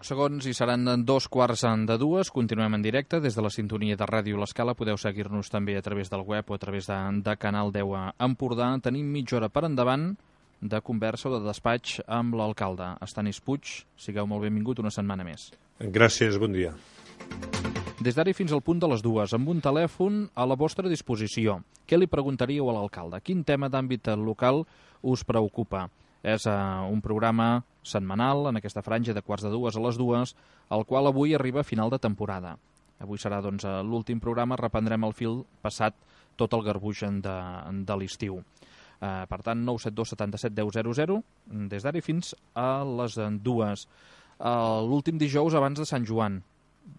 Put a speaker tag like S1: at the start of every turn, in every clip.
S1: pocs segons i seran 2:15. Continuem en directe des de la sintonia de Ràdio L'Escala. Podeu seguir-nos també a través del web o a través de Canal 10 a Empordà. Tenim mitja hora per endavant de conversa o de despatx amb l'alcalde, Estanis Puig. Sigueu molt benvingut una setmana més.
S2: Gràcies, bon dia.
S1: Des d'ara fins al punt de les 2, amb un telèfon a la vostra disposició. Què li preguntaríeu a l'alcalde? Quin tema d'àmbit local us preocupa? És un programa setmanal, en aquesta franja de 1:45 a les 2, el qual avui arriba a final de temporada. Avui serà l'últim programa, reprendrem el fil passat tot el garbuix de l'estiu. Per tant, 972 77 10 00, des d'ara fins a les 2. L'últim dijous abans de Sant Joan,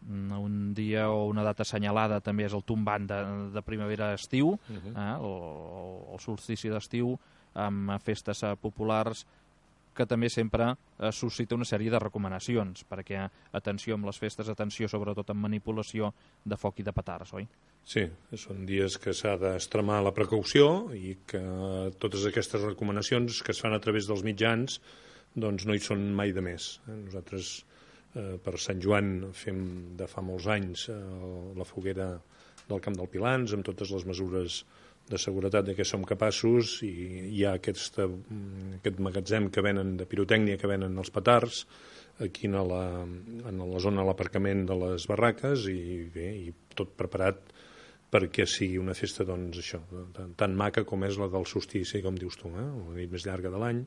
S1: un dia o una data assenyalada també és el tombant de primavera-estiu, el solstici d'estiu, amb festes populars que també sempre suscita una sèrie de recomanacions, perquè atenció amb les festes, atenció sobretot amb manipulació de foc i de petards, oi?
S2: Sí, són dies que s'ha d'extremar la precaució i que totes aquestes recomanacions que es fan a través dels mitjans doncs no hi són mai de més. Nosaltres per Sant Joan fem de fa molts anys la foguera del Camp del Pilans amb totes les mesures de seguretat de què som capaços, i hi ha aquest magatzem que venen de pirotècnia, que venen els petards aquí en la zona de l'aparcament de les barraques, i bé, i tot preparat perquè sigui una festa doncs això, tan maca com és la del solstici, com dius tu, la nit més llarga de l'any,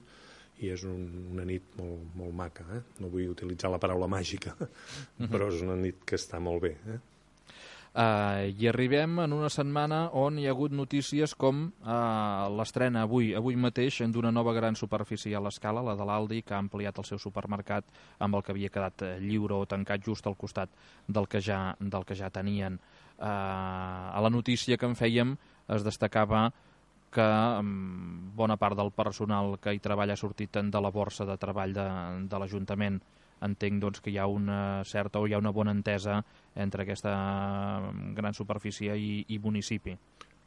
S2: i és una nit molt, molt maca. No vull utilitzar la paraula màgica, però és una nit que està molt bé.
S1: I arribem en una setmana on hi ha hagut notícies com l'estrena avui mateix d'una nova gran superfície a l'Escala, la de l'Aldi, que ha ampliat el seu supermercat amb el que havia quedat lliure o tancat just al costat del que ja tenien. A la notícia que en fèiem es destacava que bona part del personal que hi treballa ha sortit de la borsa de treball de l'Ajuntament. Entenc doncs, que hi ha una certa o hi ha una bona entesa entre aquesta gran superfície i municipi.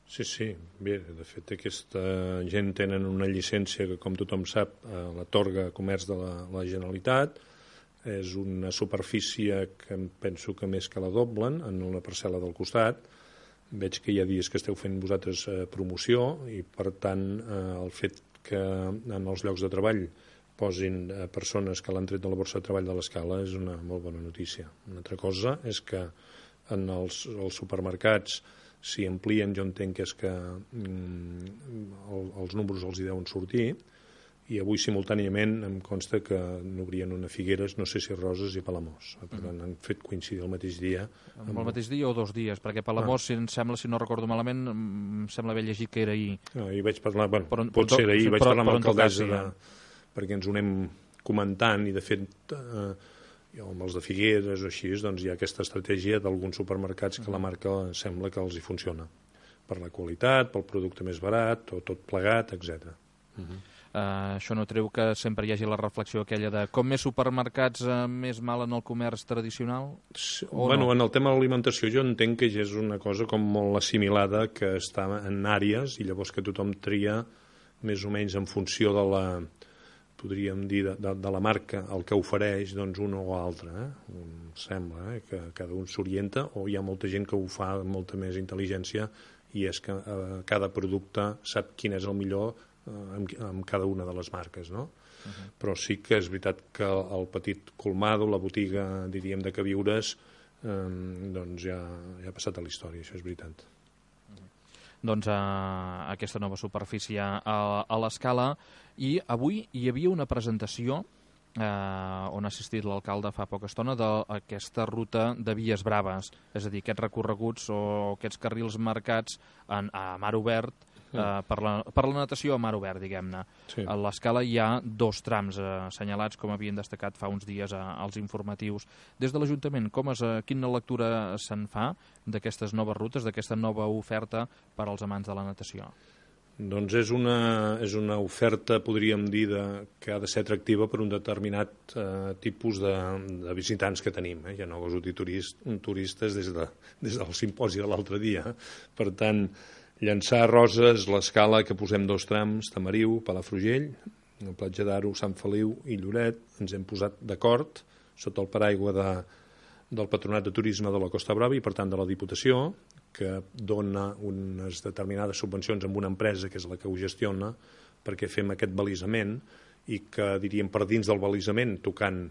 S2: Sí. Bé, de fet, aquesta gent tenen una llicència que, com tothom sap, l'atorga Comerç de la Generalitat. És una superfície que penso que més que la doblen en una parcel·la del costat. Veig que hi ha dies que esteu fent vosaltres promoció i, per tant, el fet que en els llocs de treball posin persones que l'han tret de la borsa de treball de l'Escala és una molt bona notícia. Una altra cosa és que en els supermercats s'hi amplien, jo entenc que és que els números els hi deuen sortir, i avui simultàniament em consta que n'obrien una Figueres, no sé si Roses i Palamós. Per tant, han fet coincidir el mateix dia.
S1: El mateix dia o 2 dies? Perquè Palamós, si em sembla, si no recordo malament, em sembla haver llegit que era ahir.
S2: I vaig parlar, pot ser ahir, vaig parlar amb l'alcaldessa perquè ens ho anem comentant, i de fet amb els de Figueres o així, doncs hi ha aquesta estratègia d'alguns supermercats que la marca sembla que els hi funciona, per la qualitat, pel producte més barat o tot plegat, etc.
S1: Això no treu que sempre hi hagi la reflexió aquella de com més supermercats més mal en el comerç tradicional?
S2: Bueno, en el tema de l'alimentació jo entenc que ja és una cosa com molt assimilada, que està en àrees, i llavors que tothom tria més o menys en funció de la, podríem dir, de la marca, el que ofereix, doncs un o altre. Em sembla que cada un s'orienta, o hi ha molta gent que ho fa amb molta més intel·ligència, i és que cada producte sap quin és el millor amb cada una de les marques, no? Però sí que és veritat que el petit colmado, la botiga, diríem, de queviures, doncs ja ha passat a la història, això és veritat.
S1: Doncs aquesta nova superfície a l'Escala, i avui hi havia una presentació on ha assistit l'alcalde fa poca estona d'aquesta ruta de Vies Braves, és a dir, aquests recorreguts o aquests carrils marcats a mar obert, per la natació a mar obert, diguem-ne.
S2: Sí.
S1: A l'Escala hi ha 2 trams assenyalats, com havien destacat fa uns dies als informatius. Des de l'Ajuntament, quina lectura se'n fa d'aquestes noves rutes, d'aquesta nova oferta per als amants de la natació?
S2: Doncs és una oferta, podríem dir, que ha de ser atractiva per un determinat tipus de visitants que tenim. Ja no goso dir turistes des del simposi de l'altre dia. Per tant, llançar a Roses, l'Escala, que posem 2 trams, Tamariu, Palafrugell, la Platja d'Aro, Sant Feliu i Lloret. Ens hem posat d'acord sota el paraigua del Patronat de Turisme de la Costa Brava i, per tant, de la Diputació, que dona unes determinades subvencions a una empresa que és la que ho gestiona perquè fem aquest balisament i que, diríem, per dins del balisament, tocant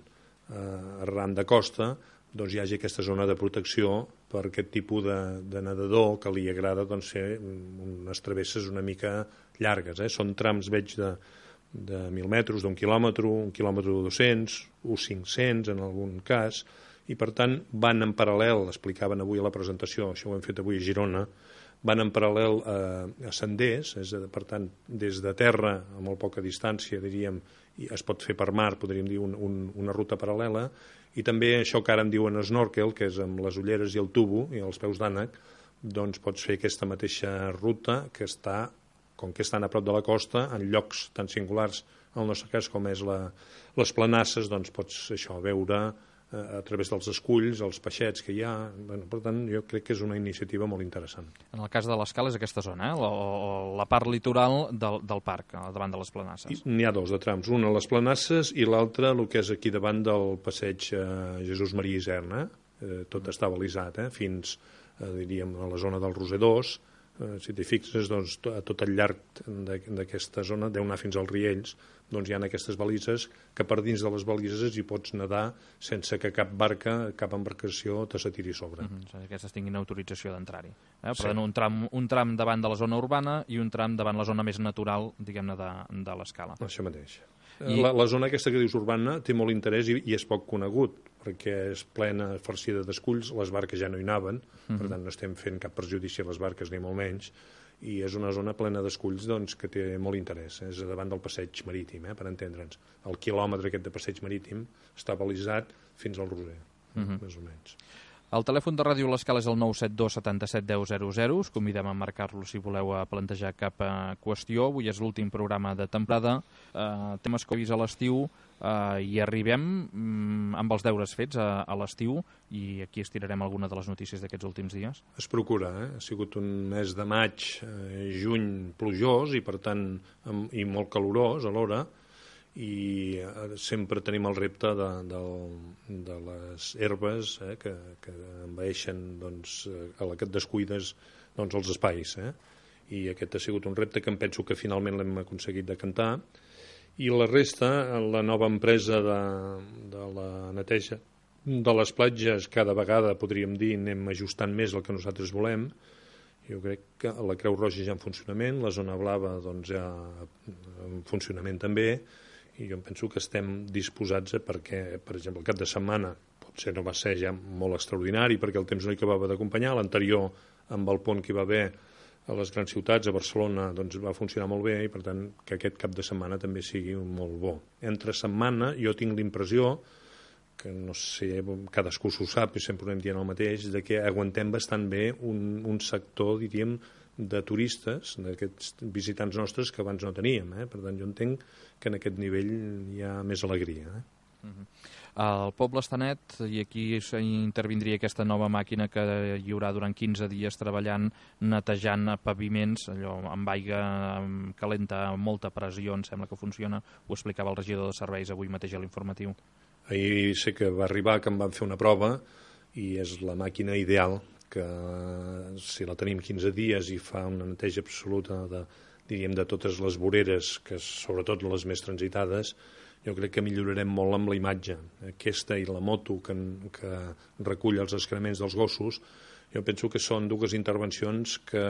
S2: arran de costa, doncs hi hagi aquesta zona de protecció per aquest tipus de nedador que li agrada doncs, fer unes travesses una mica llargues. Són trams, veig, de 1.000 metres, d'1 quilòmetre, 1 quilòmetre 200, 500 en algun cas, i per tant van en paral·lel, explicaven avui a la presentació, això ho hem fet avui a Girona, van en paral·lel a senders, per tant, des de terra, a molt poca distància, diríem, i es pot fer per mar, podríem dir, una ruta paral·lela, i també això que ara en diuen snorkel, que és amb les ulleres i el tubo i els peus d'ànec, doncs pots fer aquesta mateixa ruta que està, com que estan a prop de la costa, en llocs tan singulars, en el nostre cas com és les planasses, doncs pots això veure a través dels esculls, els peixets que hi ha. Per tant, jo crec que és una iniciativa molt interessant.
S1: En el cas de l'Escala és aquesta zona, o la part litoral del parc, davant de les planasses.
S2: N'hi ha dos de trams, un a les planasses i l'altre el que és aquí davant del passeig Jesús Maria Iserna. Tot està balisat, fins, diríem, a la zona del Roser 2. Si t'hi fixes, doncs, a tot el llarg d'aquesta zona, deu anar fins als Riells, doncs hi ha aquestes balises que per dins de les balises hi pots nedar sense que cap barca, cap embarcació te se tiri sobre.
S1: Aquestes tinguin autorització d'entrar-hi. Per
S2: Sí.
S1: tant, un tram davant de la zona urbana i un tram davant la zona més natural, diguem-ne, de l'Escala.
S2: Això mateix. La zona aquesta que dius urbana té molt interès i és poc conegut, perquè és plena, farcida d'esculls, les barques ja no hi anaven, per tant no estem fent cap perjudici a les barques ni molt menys, i és una zona plena d'esculls doncs, que té molt interès. És davant del passeig marítim, per entendre'ns. El quilòmetre aquest de passeig marítim està balisat fins al Roser, més o menys.
S1: El telèfon de Ràdio l'Escala és el 972 77 10 00. Us convidem a marcar-lo si voleu plantejar cap qüestió. Avui és l'últim programa de temporada. Temes que he vist a l'estiu i arribem amb els deures fets a l'estiu i aquí estirarem alguna de les notícies d'aquests últims dies.
S2: Es procura, Ha sigut un mes de maig, juny plujós i per tant i molt calorós alhora, i sempre tenim el repte de les herbes que envaeixen doncs, a la que et descuides doncs, els espais. I aquest ha sigut un repte que em penso que finalment l'hem aconseguit decantar. I la resta, la nova empresa de la neteja de les platges, cada vegada, podríem dir, anem ajustant més el que nosaltres volem. Jo crec que la Creu Roja ja en funcionament, la zona blava doncs, ja en funcionament també, i jo penso que estem disposats perquè, per exemple, el cap de setmana potser no va ser ja molt extraordinari perquè el temps no hi acabava d'acompanyar, l'anterior amb el pont que hi va haver a les grans ciutats, a Barcelona, doncs va funcionar molt bé i per tant que aquest cap de setmana també sigui molt bo. Entre setmana jo tinc l'impressió que no sé, cadascú s'ho sap i sempre ho anem dient el mateix, de que aguantem bastant bé un sector, diríem, de turistes, d'aquests visitants nostres que abans no teníem. Per tant, jo entenc que en aquest nivell hi ha més alegria.
S1: El poble està net i aquí intervindria aquesta nova màquina que hi haurà durant 15 dies treballant, netejant paviments, allò amb aigua calenta, amb molta pressió, em sembla que funciona. Ho explicava el regidor de serveis avui mateix a l'informatiu.
S2: Ahir sé que va arribar, que em van fer una prova i és la màquina ideal que si la tenim 15 dies i fa una neteja absoluta diríem de totes les voreres, que sobretot les més transitades, jo crec que millorarem molt amb la imatge. Aquesta i la moto que recull els excrements dels gossos, jo penso que són dues intervencions que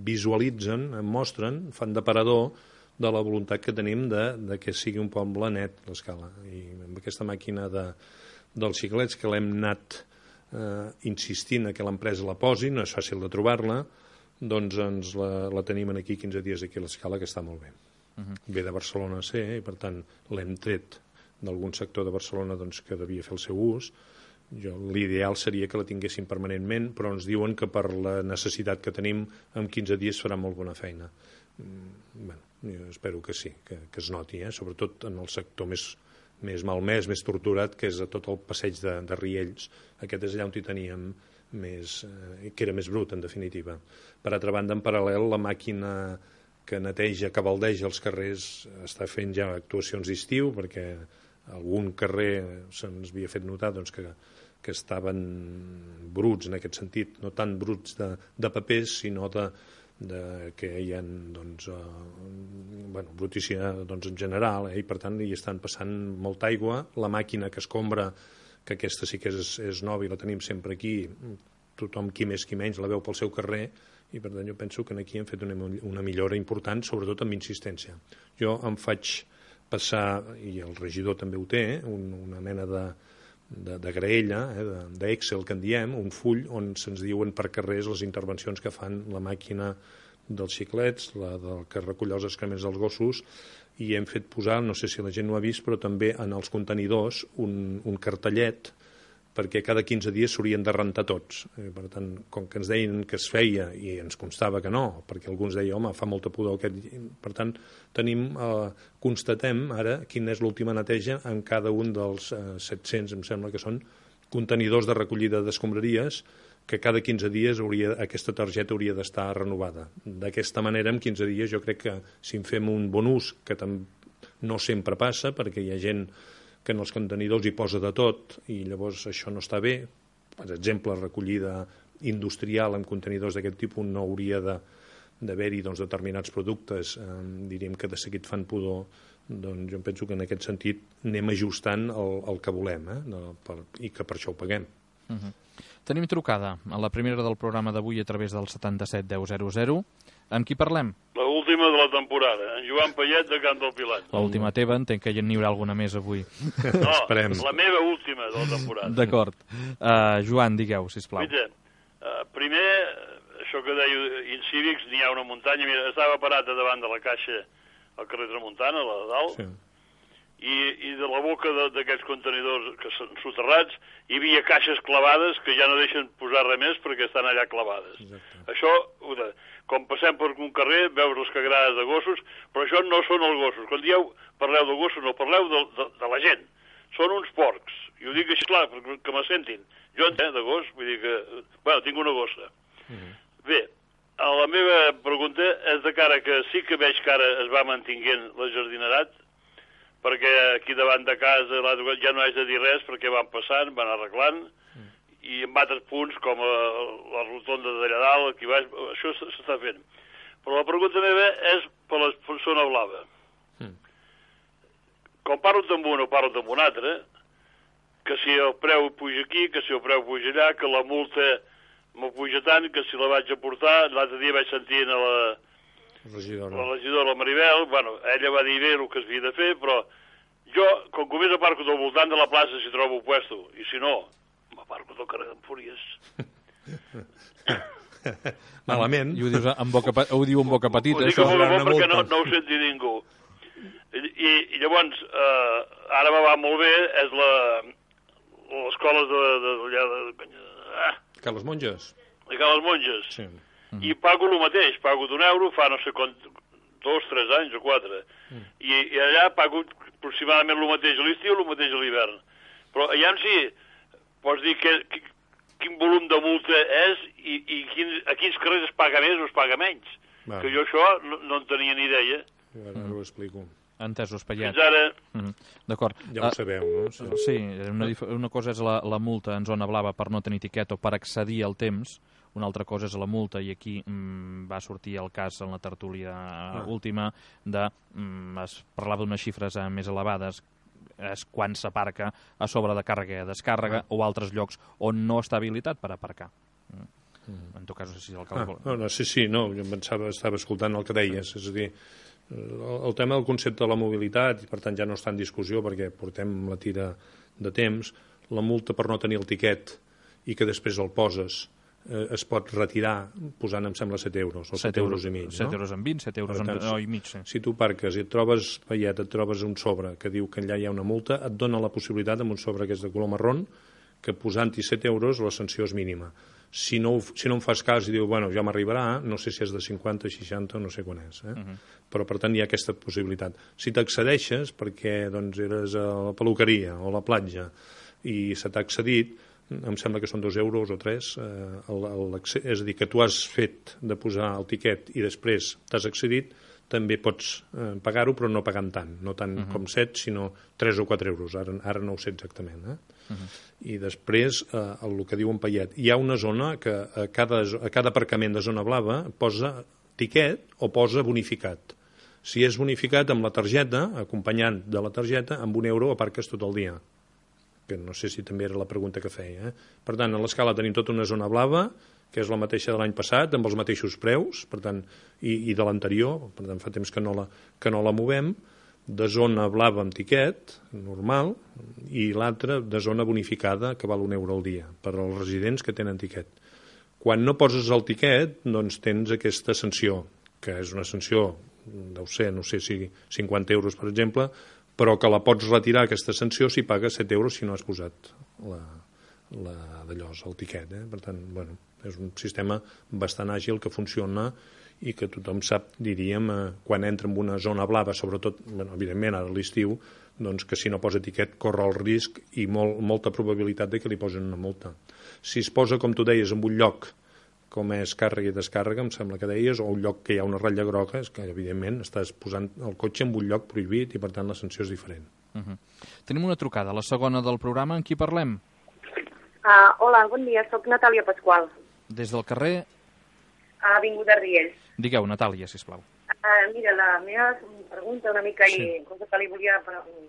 S2: visualitzen, mostren, fan d'aparador de la voluntat que tenim de que sigui un poble net, l'Escala. I amb aquesta màquina dels xiclets que l'hem anat insistint que l'empresa la posi, no és fàcil de trobar-la, doncs ens la tenim aquí 15 dies aquí a l'Escala, que està molt bé. Ve de Barcelona a ser, i per tant l'hem tret d'algun sector de Barcelona doncs, que devia fer el seu ús. L'ideal seria que la tinguessin permanentment, però ens diuen que per la necessitat que tenim en 15 dies farà molt bona feina. Jo espero que sí, que es noti, sobretot en el sector més malmès, més torturat, que és a tot el passeig de Riells. Aquest és allà on hi teníem que era més brut, en definitiva. Per altra banda, en paral·lel, la màquina que neteja, que baldeja els carrers, està fent ja actuacions d'estiu, perquè algun carrer se'ns havia fet notar doncs, que estaven bruts en aquest sentit, no tant bruts de papers, sinó que hi ha doncs, brutícia doncs, en general, i per tant hi estan passant molta aigua. La màquina que escombra, que aquesta sí que és nova i la tenim sempre aquí, tothom qui més qui menys la veu pel seu carrer, i per tant jo penso que aquí hem fet una millora important, sobretot amb insistència. Jo em faig passar, i el regidor també ho té, una mena de graella, d'Excel que en diem, un full on se'ns diuen per carrers les intervencions que fan la màquina dels xiclets, la que recull els excrements dels gossos, i hem fet posar, no sé si la gent ho ha vist, però també en els contenidors un cartellet perquè cada 15 dies s'haurien de rentar tots. Per tant, com que ens deien que es feia i ens constava que no, perquè alguns deien, home, fa molta pudor aquest... Per tant, constatem ara quina és l'última neteja en cada un dels 700, em sembla que són, contenidors de recollida d'escombraries, que cada 15 dies aquesta targeta hauria d'estar renovada. D'aquesta manera, en 15 dies, jo crec que si en fem un bon ús, que no sempre passa, perquè hi ha gent que en els contenidors hi posa de tot i llavors això no està bé. Per exemple, recollida industrial en contenidors d'aquest tipus no hauria d'haver-hi determinats productes, diríem que de seguit fan pudor. Doncs jo penso que en aquest sentit anem ajustant el que volem i que per això ho paguem.
S1: Tenim trucada a la primera del programa d'avui a través del 77 10 00. Amb qui parlem?
S3: L'última de la temporada, en Joan Payet de Can del Pilat.
S1: L'última teva, entenc que n'hi haurà alguna més avui.
S3: No, la meva última de la temporada.
S1: D'acord. Joan, digueu, sisplau.
S3: Mira, primer, això que deia Incívics, n'hi ha una muntanya. Mira, estava parat davant de la caixa al carrer Tramuntana, a la de dalt, sí. I de la boca d'aquests contenidors que són soterrats hi havia caixes clavades que ja no deixen posar res més perquè estan allà clavades. Exacte. Això, com passem per un carrer, veus les cagarades de gossos, però això no són els gossos. Quan dieu parleu de gossos, no parleu de la gent. Són uns porcs. I ho dic així clar, que me sentin. Jo de gos, vull dir que... Bueno, tinc una gossa. Bé, la meva pregunta és de cara que sí que veig que ara es va mantinguent la jardinerat, perquè aquí davant de casa ja no haig de dir res perquè van passant, van arreglant, i en altres punts, com la rotonda d'allà dalt, aquí baix, això s'està fent. Però la pregunta meva és per la zona blava. Com parlo amb un o parlo amb un altre, que si el preu puja aquí, que si el preu puja allà, que la multa me puja tant, que si la vaig a portar, l'altre dia vaig sentir a la regidora Maribel, bueno, ella va dir bé el que es havia de fer, però jo, com que més aparco del voltant de la plaça si trobo puesto, i si no, m'aparco del carrer d'Empúries.
S2: Malament.
S1: I ho diu en boca petita,
S3: això. Ho dic amb boca perquè no ho senti ningú. I llavors, ara me va molt bé, és l'escola de
S2: Carles Monges.
S3: De Carles Monges.
S2: Sí.
S3: I pago el mateix, pago d'€1, fa no sé quant, 2, 3 anys o 4. I allà pago aproximadament el mateix a l'estiu i el mateix a l'hivern. Però allà sí, pots dir quin volum de multa és i a quins carrers es paga més o es paga menys. Que jo això no en tenia ni idea.
S2: Ara ho explico.
S1: Entesos, Payet.
S3: Fins ara...
S1: D'acord.
S2: Ja ho sabeu, no?
S1: Sí, una cosa és la multa en zona blava per no tenir etiqueta o per accedir al temps, una altra cosa és la multa, i aquí va sortir el cas en la tertúlia última es parlava d'unes xifres més elevades, és quan s'aparca a sobre de càrrega i descàrrega o altres llocs on no està habilitat per aparcar. En tot cas, no sé si l'alcalde...
S2: Sí, jo estava escoltant el que deies, és a dir, el tema del concepte de la mobilitat, i per tant ja no està en discussió perquè portem la tira de temps, la multa per no tenir el tiquet i que després el poses es pot retirar posant, em sembla, 7 euros o 7 euros i mig.
S1: 7 euros en 20, 7 euros i mig.
S2: Si tu parques i et trobes, Payet, et trobes un sobre que diu que allà hi ha una multa, et dona la possibilitat amb un sobre que és de color marrón que posant-hi 7 euros la sanció és mínima. Si no en fas cas i diu, bueno, ja m'arribarà, no sé si és de 50, 60 o no sé quan és. Però, per tant, hi ha aquesta possibilitat. Si t'accedeixes, perquè eres a la peluqueria o a la platja i se t'ha accedit, em sembla que són 2 euros o 3, és a dir, que tu has fet de posar el tiquet i després t'has accedit, també pots pagar-ho, però no pagant tant, no tant com 7, sinó 3 o 4 euros, ara no ho sé exactament. I després, el que diu en Payet, hi ha una zona que a cada aparcament de zona blava posa tiquet o posa bonificat. Si és bonificat amb la targeta, acompanyant de la targeta, amb €1 aparques tot el dia. Que no sé si també era la pregunta que feia. Per tant, a l'Escala tenim tota una zona blava, que és la mateixa de l'any passat, amb els mateixos preus, per tant, i de l'anterior, per tant, fa temps que no la movem, de zona blava amb tiquet, normal, i l'altra de zona bonificada, que val €1 al dia, per als residents que tenen tiquet. Quan no poses el tiquet, doncs tens aquesta sanció, que és una sanció, deu ser, no sé si 50 euros, per exemple, però que la pots retirar, aquesta sanció, si pagues 7 euros si no has posat el tiquet. Per tant, bueno, és un sistema bastant àgil que funciona i que tothom sap, diríem, quan entra en una zona blava, sobretot, evidentment, ara a l'estiu, doncs que si no posa tiquet corre el risc i molta probabilitat de que li posen una multa. Si es posa, com tu deies, en un lloc com és càrrega i descàrrega, em sembla que deies, o un lloc que hi ha una ratlla groga, és que, evidentment, estàs posant el cotxe en un lloc prohibit i, per tant, la sanció és diferent.
S1: Tenim una trucada, la segona del programa. En qui parlem?
S4: Hola, bon dia, soc Natàlia Pasqual.
S1: Des del carrer?
S4: Avinguda Riells.
S1: Digueu, Natàlia, sisplau.
S4: Mira, la meva pregunta una mica, i cosa que li volia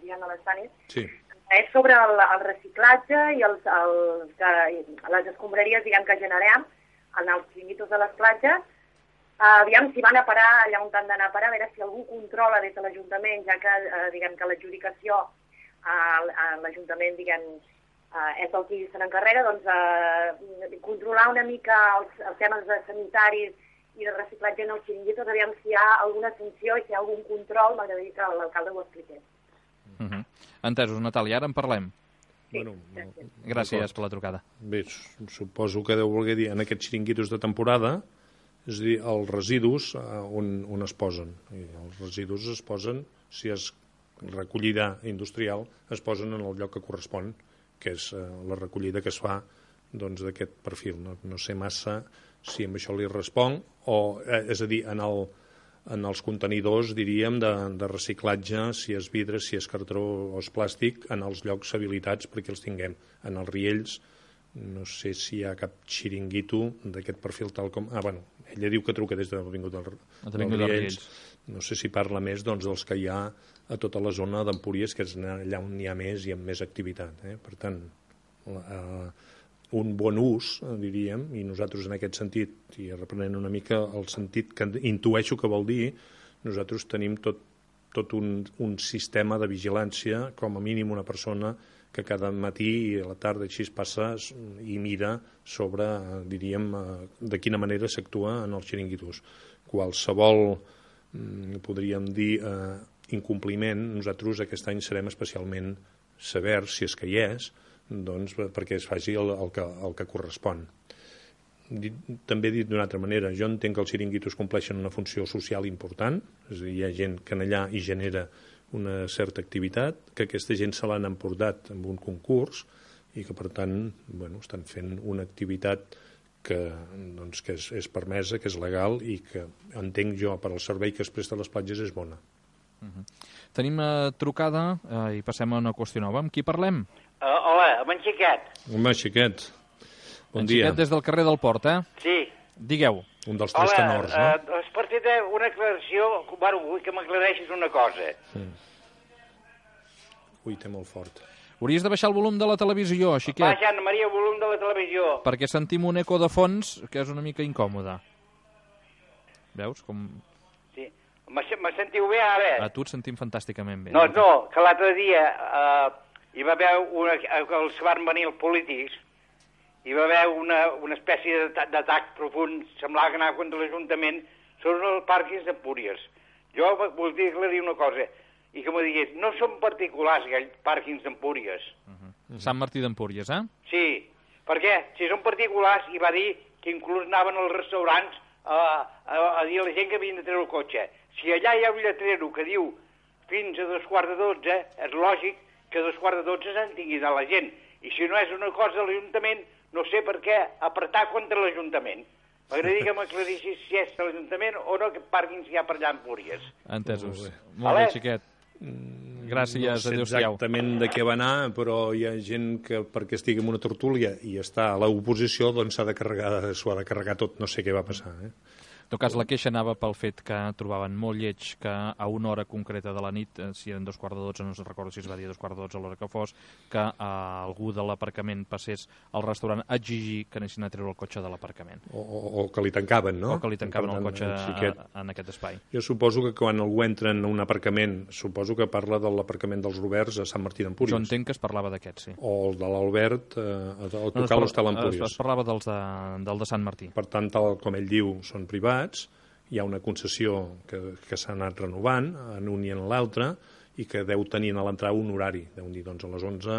S4: dir a l'Estanis, és sobre el reciclatge i les escombraries, diguem, que generem en els xiringuitos de les platges. Aviam si van a parar allà on han d'anar a parar, a veure si algú controla des de l'Ajuntament, ja que, diguem, que l'adjudicació a l'Ajuntament, diguem, és el qui se n'encarrega, doncs controlar una mica els temes sanitaris i de reciclatge en els xiringuitos, aviam si hi ha alguna sanció i si hi ha algun control, m'agradaria que l'alcalde ho expliqués.
S1: Entesos, Natàlia, ara en parlem.
S4: Sí,
S1: gràcies per la trucada.
S2: Bé, suposo que deu voler dir en aquests xiringuitos de temporada, és a dir, els residus on es posen. I els residus es posen, si és recollida industrial, es posen en el lloc que correspon, que és la recollida que es fa d'aquest perfil. No sé massa si amb això li responc, és a dir, en els contenidors, diríem, de reciclatge, si és vidre, si és cartró o és plàstic, en els llocs habilitats perquè els tinguem. En els riells, no sé si hi ha cap xiringuito d'aquest perfil tal com... ella diu que truca des de l'Avinguda dels Riells. No sé si parla més dels que hi ha a tota la zona d'Empúries, que és allà on n'hi ha més i amb més activitat. Per tant, un bon ús, diríem, i nosaltres en aquest sentit, i reprenent una mica el sentit que intueixo que vol dir, nosaltres tenim tot un sistema de vigilància, com a mínim una persona que cada matí i a la tarda així passa i mira sobre, diríem, de quina manera s'actua en els xiringuitos. Qualsevol, podríem dir, incompliment, nosaltres aquest any serem especialment severs, si és que hi és, doncs perquè es faci el que correspon. També dit d'una altra manera, jo entenc que els xiringuitos compleixen una funció social important, és a dir, hi ha gent que allà hi genera una certa activitat, que aquesta gent se l'han emportat amb un concurs i que, per tant, estan fent una activitat que és permesa, que és legal i que, entenc jo, per al servei que es presta a les platges és bona.
S1: Tenim trucada i passem a una qüestió nova. Amb qui parlem?
S5: Hola, amb en Xiquet.
S2: Home, Xiquet, bon dia.
S1: Xiquet des del carrer del Port,
S5: Sí.
S1: Digueu.
S2: Un dels tres tenors, no?
S5: És per fer una aclaració, vull que m'aclareixis una cosa.
S2: Ui, té molt fort.
S1: Hauries de baixar el volum de la televisió, Xiquet.
S5: Baixa, Anna Maria, el volum de la televisió.
S1: Perquè sentim un eco de fons que és una mica incòmode. Veus com...
S5: Sí. Me sentiu bé, ara?
S1: A tu et sentim fantàsticament bé.
S5: No, que l'altre dia hi va haver els van venir els polítics, hi va haver una espècie d'atac profund, semblava que anava contra l'Ajuntament, sobre els pàrquings d'Empúries. Jo voldria aclarir una cosa, i que m'ho digués, no són particulars aquells pàrquings d'Empúries.
S1: Sant Martí d'Empúries,
S5: Sí, perquè si són particulars, hi va dir que inclús anaven als restaurants a dir a la gent que havien de treure el cotxe. Si allà hi ha un lletrero que diu fins a 11:15, és lògic que a 11:15 se'n tingui de la gent. I si no és una cosa de l'Ajuntament, no sé per què apretar contra l'Ajuntament. M'agradaria que m'aclarissis si és l'Ajuntament o no aquest pàrquing si hi ha per allà a Empúries.
S1: Entesos. Molt bé, xiquet. Gràcies,
S2: no sé
S1: adéu-siau.
S2: Exactament de què va anar, però hi ha gent que perquè estigui en una tertúlia i està a l'oposició, doncs s'ho ha de carregar tot, no sé què va passar.
S1: En tot cas, la queixa anava pel fet que trobaven molt lleig que a una hora concreta de la nit, si eren 2:45, no recordo si es va dir 2:45 a l'hora que fos, que algú de l'aparcament passés al restaurant a exigir que anessin a treure el cotxe de l'aparcament.
S2: O que li tancaven, no?
S1: O que li tancaven el cotxe en aquest espai.
S2: Jo suposo que quan algú entra en un aparcament, suposo que parla de l'aparcament dels Roberts a Sant Martí d'Empúries.
S1: Jo entenc que es parlava d'aquest, sí.
S2: O el de l'Albert, el Tocal Hostal Empúries.
S1: Es parlava del de Sant Martí.
S2: Per tant, tal com ell diu, són privats, hi ha una concessió que s'ha anat renovant en un i en l'altre i que deu tenir a l'entrada un horari, deu dir, doncs a les 11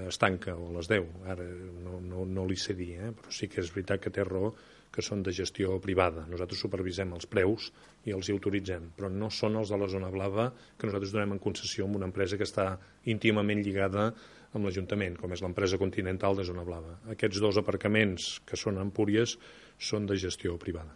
S2: es tanca, o a les 10, ara no li sé dir, però sí que és veritat que té raó que són de gestió privada. Nosaltres supervisem els preus i els hi autoritzem, però no són els de la zona blava que nosaltres donem en concessió amb una empresa que està íntimament lligada amb l'Ajuntament, com és l'empresa Continental de Zona Blava. Aquests dos aparcaments que són a Empúries són de gestió privada.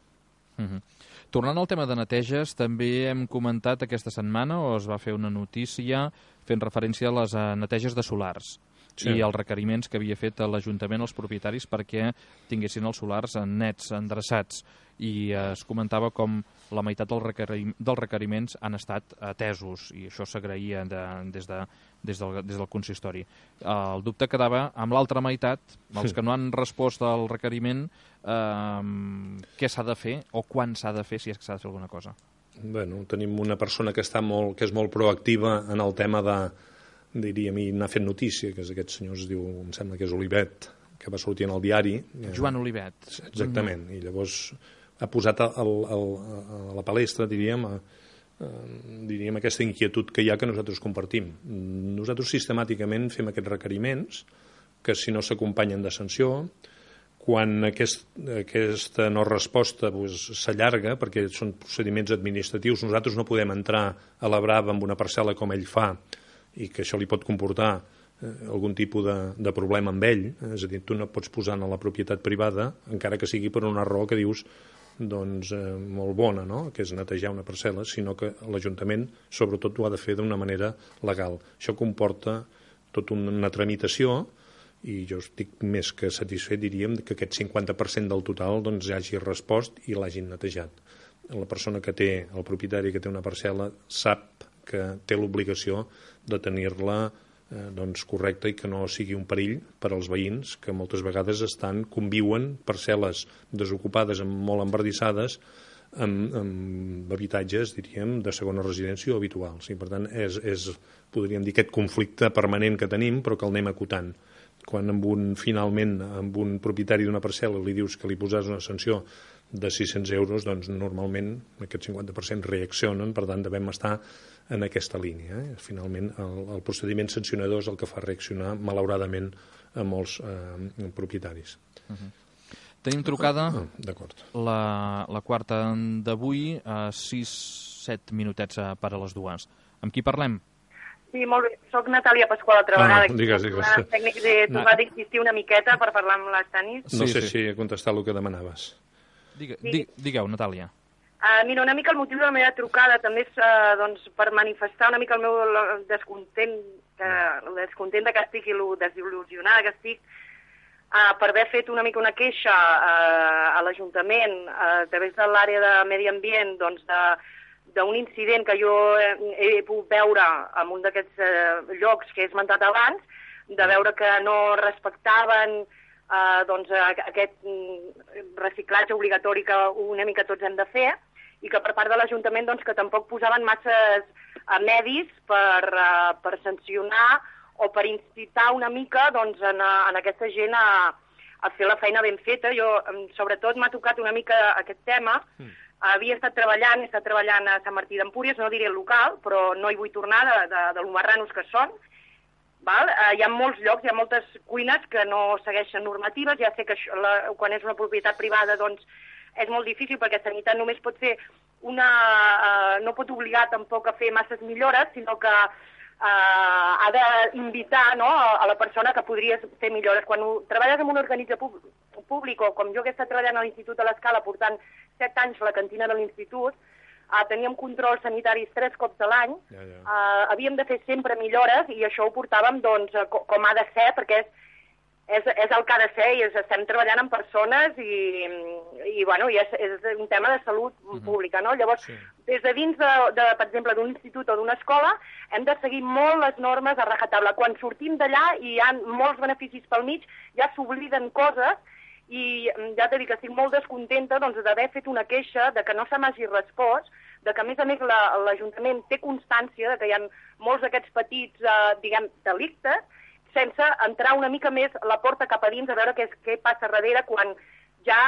S1: Tornant al tema de neteges, també hem comentat aquesta setmana, o es va fer una notícia fent referència a les neteges de solars i els requeriments que havia fet l'Ajuntament als propietaris perquè tinguessin els solars nets, endreçats, i es comentava com la meitat dels requeriments han estat atesos, i això s'agraïa des del consistori. El dubte quedava amb l'altra meitat, els que no han respost al requeriment, què s'ha de fer o quan s'ha de fer, si és que s'ha de fer alguna cosa.
S2: Bueno, tenim una persona que és molt proactiva en el tema diríem, i n'ha fet notícia, que és aquest senyor, es diu, em sembla que és Olivet, que va sortir en el diari.
S1: Joan Olivet.
S2: Exactament, i llavors ha posat a la palestra, diríem, aquesta inquietud que hi ha que nosaltres compartim. Nosaltres sistemàticament fem aquests requeriments que si no s'acompanyen de sanció, quan aquesta no resposta s'allarga, perquè són procediments administratius, nosaltres no podem entrar a la brava amb una parcel·la com ell fa i que això li pot comportar algun tipus de problema amb ell, és a dir, tu no pots posar en la propietat privada, encara que sigui per una raó que dius doncs molt bona, no?, que és netejar una parcel·la, sinó que l'Ajuntament sobretot ho ha de fer d'una manera legal. Això comporta tota una tramitació i jo estic més que satisfet, diríem, que aquest 50% del total doncs hagi respost i l'hagin netejat. La persona que té, el propietari que té una parcel·la, sap que té l'obligació de tenir-la doncs correcta i que no sigui un perill per als veïns que moltes vegades conviuen parcel·les desocupades molt embardissades amb habitatges, diríem, de segona residència o habituals. I per tant podríem dir, aquest conflicte permanent que tenim però que el anem acotant. Quan finalment amb un propietari d'una parcel·la li dius que li posaràs una sanció de 600 euros, doncs normalment aquest 50% reaccionen, per tant devem estar en aquesta línia. Finalment el procediment sancionador és el que fa reaccionar malauradament a molts propietaris.
S1: Tenim trucada la quarta d'avui a 6-7 minutets per a les dues. Amb qui parlem?
S4: Sí, molt bé. Soc Natàlia Pasqual, altra vegada.
S2: Digues.
S4: Tècnic de tocar d'insistir una miqueta per parlar amb l'Estanis.
S2: No sé si he contestat el que demanaves.
S1: Digueu, Natàlia.
S4: Mira, una mica el motiu de la meva trucada també és per manifestar una mica el meu descontent que estic i el desil·lusionada que estic per haver fet una mica una queixa a l'Ajuntament a través de l'àrea de medi ambient d'un incident que jo he pogut veure en un d'aquests llocs que he esmentat abans, de veure que no respectaven aquest reciclatge obligatori que una mica tots hem de fer i que per part de l'Ajuntament que tampoc posaven masses medis per sancionar o per incitar una mica en aquesta gent a fer la feina ben feta. Jo, sobretot, m'ha tocat una mica aquest tema. He estat treballant a Sant Martí d'Empúries, no diré el local, però no hi vull tornar de lo marranos que són. Hi ha molts llocs, hi ha moltes cuines que no segueixen normatives. Ja sé que quan és una propietat privada és molt difícil perquè Sanitat només pot fer no pot obligar tampoc a fer masses millores, sinó que ha d'invitar a la persona que podries fer millores. Quan treballes en un organisme públic, o com jo que he estat treballant a l'Institut de l'Escala portant 7 anys a la cantina de l'Institut, teníem controls sanitaris 3 cops a l'any, havíem de fer sempre millores i això ho portàvem com ha de ser, perquè és el que ha de ser i estem treballant amb persones i és un tema de salut pública, no? Llavors, des de dins, per exemple, d'un institut o d'una escola, hem de seguir molt les normes a rajatabla. Quan sortim d'allà i hi ha molts beneficis pel mig, ja s'obliden coses i ja t'he dit que estic molt descontenta d'haver fet una queixa, de que no se m'hagi respost, de que a més l'Ajuntament té constància de que hi ha molts d'aquests petits, delictes, sense entrar una mica més la porta cap a dins a veure què passa darrere quan ja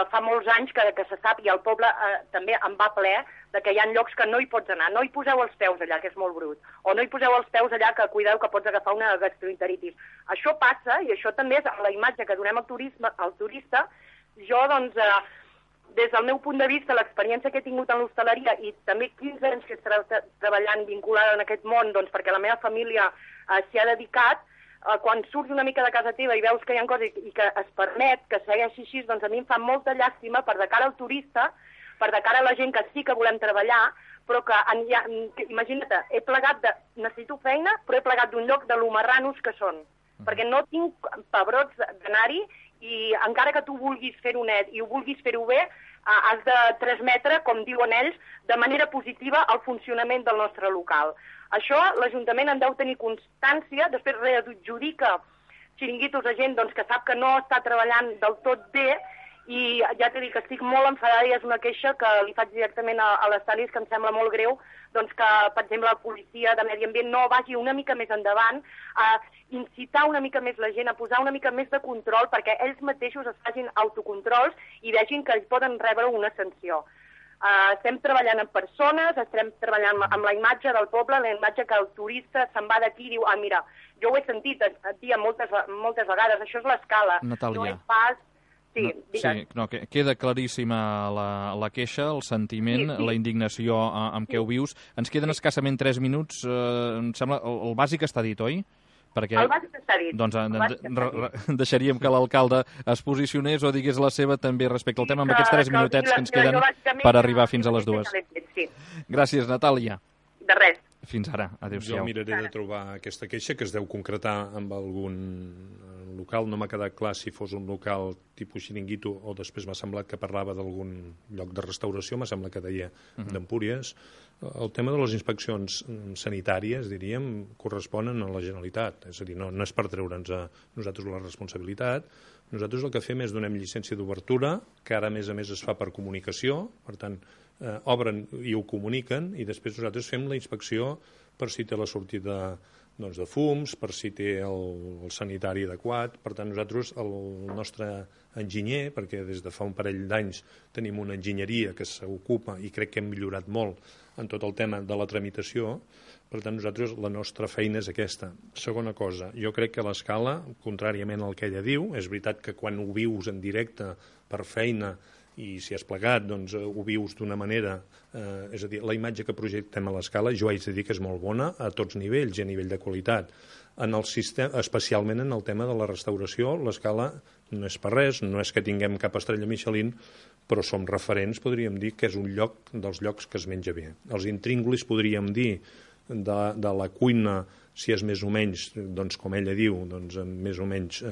S4: fa molts anys que se sap i el poble també en va ple de que hi ha llocs que no hi pots anar. No hi poseu els peus allà, que és molt brut. O no hi poseu els peus allà, que cuideu que pots agafar una gastroenteritis. Això passa i això també és la imatge que donem al turista. Jo, des del meu punt de vista, l'experiència que he tingut en l'hostaleria i també 15 anys que he estat treballant vinculada en aquest món, perquè la meva família s'hi ha dedicat, quan surts una mica de casa teva i veus que hi ha coses i que es permet que segueixi així, a mi em fa molta llàstima per de cara al turista, per de cara a la gent que sí que volem treballar, però que, imagina't, he plegat necessito feina, però he plegat d'un lloc de lo marranos que són, perquè no tinc pebrots d'anar-hi i encara que tu vulguis fer-ho net i ho vulguis fer-ho bé, has de transmetre, com diuen ells, de manera positiva el funcionament del nostre local. Això l'Ajuntament en deu tenir constància, després readjudica xiringuitos a gent que sap que no està treballant del tot bé i ja t'he dit que estic molt enfadada i és una queixa que li faig directament a les Talis, que em sembla molt greu que, per exemple, la policia de Medi Ambient no vagi una mica més endavant, a incitar una mica més la gent, a posar una mica més de control perquè ells mateixos es facin autocontrols i vegin que ells poden rebre una sanció. Estem treballant amb persones, estem treballant amb la imatge del poble, la imatge que el turista se'n va d'aquí i diu, mira, jo ho he sentit a dir moltes vegades, això és l'Escala.
S1: Natàlia.
S4: No és pas...
S1: Queda claríssima la queixa, el sentiment, la indignació amb què ho vius. Ens queden escassament 3 minuts, em sembla, el bàsic està dit, oi?
S4: El bàsic està dit.
S1: Doncs deixaríem que l'alcalde es posicionés o digués la seva també respecte al tema amb aquests 3 minutets que ens queden per arribar fins a les 2. Gràcies, Natàlia.
S4: De res.
S1: Fins ara. Adéu-siau.
S2: Jo miraré de trobar aquesta queixa que es deu concretar amb algun local. No m'ha quedat clar si fos un local tipus xiringuito o després m'ha semblat que parlava d'algun lloc de restauració, m'ha semblat que deia d'Empúries. El tema de les inspeccions sanitàries, diríem, corresponen a la Generalitat. És a dir, no és per treure'ns a nosaltres la responsabilitat. Nosaltres el que fem és donem llicència d'obertura, que ara a més es fa per comunicació, per tant, obren i ho comuniquen, i després nosaltres fem la inspecció per si té la sortida de fums, per si té el sanitari adequat. Per tant, nosaltres, el nostre enginyer, perquè des de fa un parell d'anys tenim una enginyeria que s'ocupa i crec que hem millorat molt en tot el tema de la tramitació, per tant, nosaltres la nostra feina és aquesta. Segona cosa, jo crec que l'Escala, contràriament al que ella diu, és veritat que quan ho vius en directe per feina i si has plegat, doncs ho vius d'una manera, és a dir, la imatge que projectem a l'Escala, jo haig de dir que és molt bona a tots nivells i a nivell de qualitat. En el sistema, especialment en el tema de la restauració, l'Escala no és per res, no és que tinguem cap estrella Michelin, però som referents, podríem dir, que és un lloc dels llocs que es menja bé. Els intríngulis, podríem dir, de la cuina, si és més o menys, doncs, com ella diu, doncs, més o menys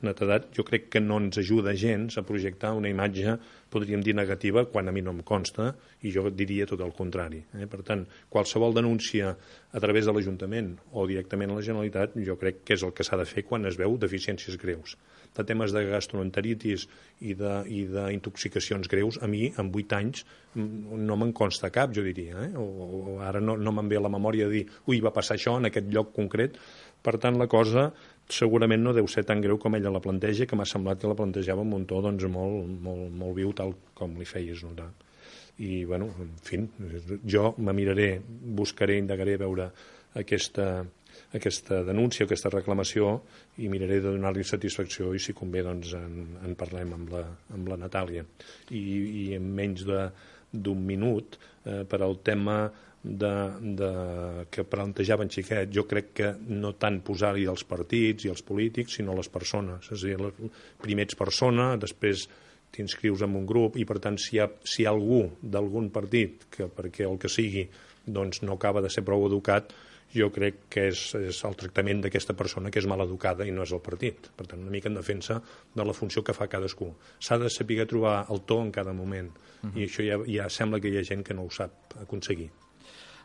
S2: netedat, jo crec que no ens ajuda gens a projectar una imatge, podríem dir, negativa, quan a mi no em consta, i jo diria tot el contrari. Per tant, qualsevol denúncia a través de l'Ajuntament o directament a la Generalitat, jo crec que és el que s'ha de fer quan es veu deficiències greus. De temes de gastroenteritis i d'intoxicacions greus, a mi, en 8 anys, no me'n consta cap, jo diria. O ara no me'n ve a la memòria de dir, ui, va passar això en aquest lloc concret. Per tant, la cosa segurament no deu ser tan greu com ella la planteja, que m'ha semblat que la plantejava amb un to molt viu, tal com li feies notar. I, bueno, en fi, jo me miraré, buscaré, indagaré a veure aquesta denúncia, aquesta reclamació, i miraré de donar-li satisfacció, i si convé doncs en parlem amb la Natàlia. I en menys d'un minut per al tema que plantejava en Xiquet. Jo crec que no tant posar-hi els partits i els polítics, sinó les persones. És a dir, primer ets persona, després t'inscrius en un grup i, per tant, si hi ha algú d'algun partit que, perquè el que sigui, doncs no acaba de ser prou educat, jo crec que és el tractament d'aquesta persona que és mal educada i no és el partit. Per tant, una mica en defensa de la funció que fa cadascú. S'ha de saber trobar el to en cada moment, i això ja sembla que hi ha gent que no ho sap aconseguir.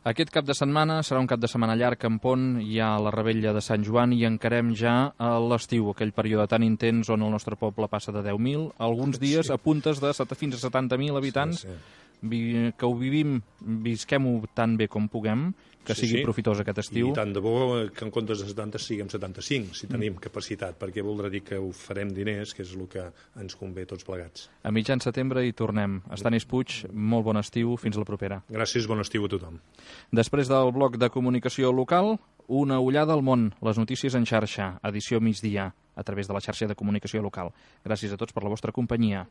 S1: Aquest cap de setmana serà un cap de setmana llarg en Pont, hi ha la Revetlla de Sant Joan i encarem ja l'estiu, aquell període tan intens on el nostre poble passa de 10.000, alguns dies a puntes de fins a 70.000 habitants, que ho visquem-ho tan bé com puguem, que sigui profitós aquest estiu.
S2: I tant de bo que en comptes de 70 siguem 75, si tenim capacitat, perquè voldrà dir que ho farem diners, que és el que ens convé tots plegats.
S1: A mitjan setembre hi tornem. Estanis Puig, molt bon estiu, fins la propera.
S2: Gràcies, bon estiu a tothom.
S1: Després del bloc de comunicació local, una ullada al món, les notícies en xarxa, edició migdia, a través de la xarxa de comunicació local. Gràcies a tots per la vostra companyia.